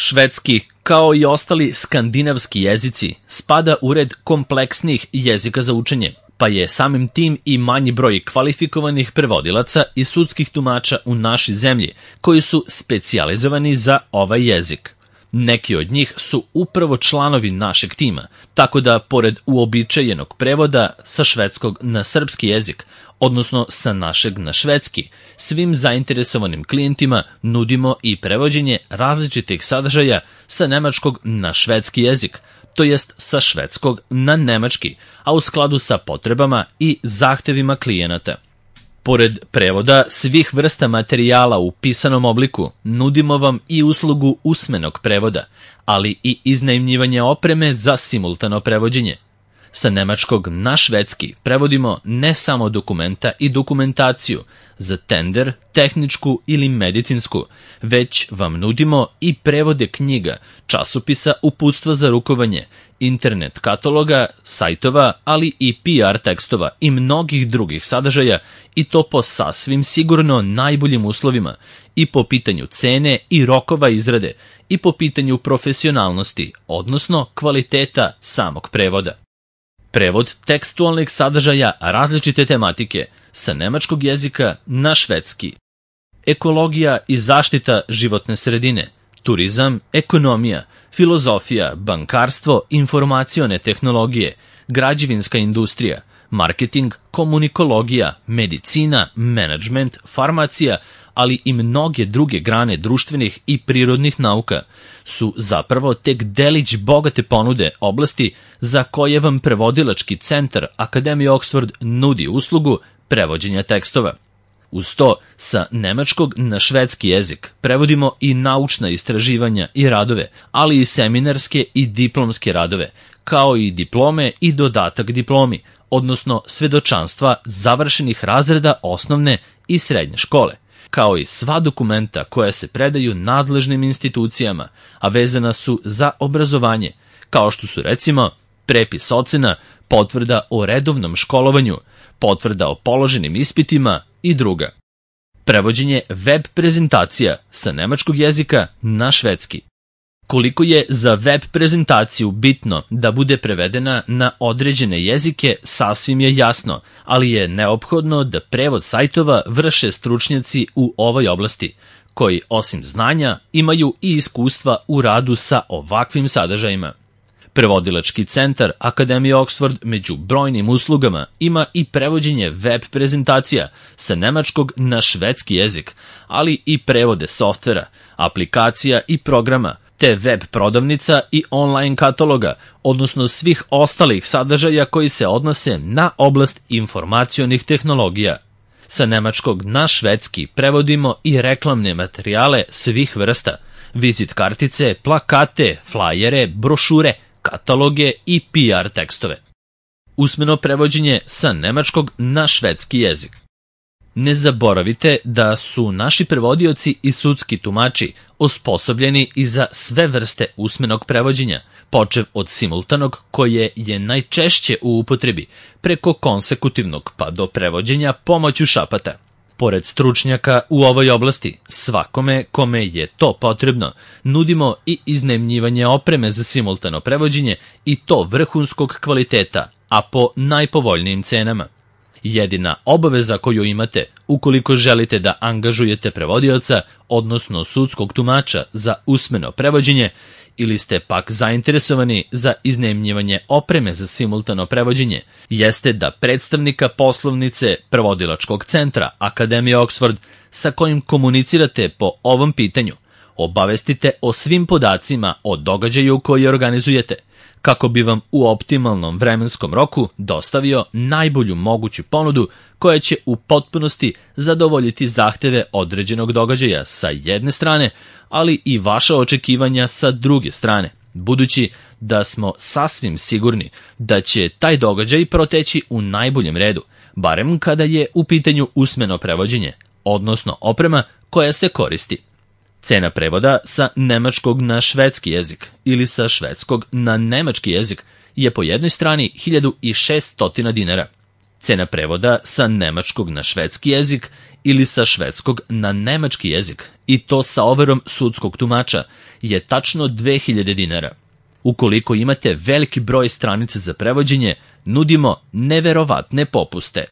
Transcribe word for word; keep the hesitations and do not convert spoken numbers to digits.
Švedski, kao i ostali skandinavski jezici, spada u red kompleksnijih jezika za učenje, pa je samim tim i manji broj kvalifikovanih prevodilaca i sudskih tumača u našoj zemlji, koji su specijalizovani za ovaj jezik. Neki od njih su upravo članovi našeg tima, tako da, pored uobičajenog prevoda sa švedskog na srpski jezik, odnosno sa našeg na švedski, svim zainteresovanim klijentima nudimo i prevođenje različitih sadržaja sa nemačkog na švedski jezik, to jest sa švedskog na nemački, a u skladu sa potrebama i zahtevima klijenata. Pored prevoda svih vrsta materijala u pisanom obliku, nudimo vam i uslugu usmenog prevoda, ali i iznajmljivanje opreme za simultano prevođenje. Sa nemačkog na švedski prevodimo ne samo dokumenta i dokumentaciju za tender, tehničku ili medicinsku, već vam nudimo i prevode knjiga, časopisa, uputstva za rukovanje, internet kataloga, sajtova, ali i P R tekstova i mnogih drugih sadržaja, i to po sasvim sigurno najboljim uslovima, i po pitanju cene i rokova izrade, i po pitanju profesionalnosti, odnosno kvaliteta samog prevoda. Prevod tekstualnih sadržaja različite tematike sa nemačkog jezika na švedski. Ekologija i zaštita životne sredine, turizam, ekonomija, filozofija, bankarstvo, informacione tehnologije, građevinska industrija, marketing, komunikologija, medicina, menadžment, farmacija, ali i mnoge druge grane društvenih i prirodnih nauka su zapravo tek delić bogate ponude oblasti za koje vam prevodilački centar Akademije Oxford nudi uslugu prevođenja tekstova. Uz to, sa nemačkog na švedski jezik prevodimo i naučna istraživanja i radove, ali i seminarske i diplomske radove, kao i diplome i dodatak diplomi, odnosno svedočanstva završenih razreda osnovne i srednje škole, kao i sva dokumenta koja se predaju nadležnim institucijama, a vezana su za obrazovanje, kao što su recimo prepis ocena, potvrda o redovnom školovanju, potvrda o položenim ispitima i druga. Prevođenje web prezentacija sa nemačkog jezika na švedski. Koliko je za web prezentaciju bitno da bude prevedena na određene jezike, sasvim je jasno, ali je neophodno da prevod sajtova vrše stručnjaci u ovoj oblasti, koji osim znanja imaju i iskustva u radu sa ovakvim sadržajima. Prevodilački centar Akademije Oxford među brojnim uslugama ima i prevođenje web prezentacija sa nemačkog na švedski jezik, ali i prevode softvera, aplikacija i programa, te web prodavnica i online kataloga, odnosno svih ostalih sadržaja koji se odnose na oblast informacionih tehnologija. Sa nemačkog na švedski prevodimo i reklamne materijale svih vrsta, vizit kartice, plakate, flajere, brošure, kataloge i P R tekstove. Usmeno prevođenje sa nemačkog na švedski jezik. Ne zaboravite da su naši prevodioci i sudski tumači osposobljeni i za sve vrste usmenog prevođenja, počev od simultanog koje je najčešće u upotrebi, preko konsekutivnog pa do prevođenja pomoću šapata. Pored stručnjaka u ovoj oblasti, svakome kome je to potrebno, nudimo i iznajmljivanje opreme za simultano prevođenje i to vrhunskog kvaliteta, a po najpovoljnijim cenama. Jedina obaveza koju imate, ukoliko želite da angažujete prevodioca, odnosno sudskog tumača za usmeno prevođenje, ili ste pak zainteresovani za iznajmljivanje opreme za simultano prevođenje, jeste da predstavnika poslovnice prevodilačkog centra Akademije Oxford sa kojim komunicirate po ovom pitanju, obavestite o svim podacima o događaju koji organizujete, kako bi vam u optimalnom vremenskom roku dostavio najbolju moguću ponudu koja će u potpunosti zadovoljiti zahteve određenog događaja sa jedne strane, ali i vaša očekivanja sa druge strane, budući da smo sasvim sigurni da će taj događaj proteći u najboljem redu, barem kada je u pitanju usmeno prevođenje, odnosno oprema koja se koristi. Cena prevoda sa nemačkog na švedski jezik ili sa švedskog na nemački jezik je po jednoj strani hiljadu šessto dinara. Cena prevoda sa nemačkog na švedski jezik ili sa švedskog na nemački jezik, i to sa overom sudskog tumača, je tačno dve hiljade dinara. Ukoliko imate veliki broj stranica za prevođenje, nudimo neverovatne popuste.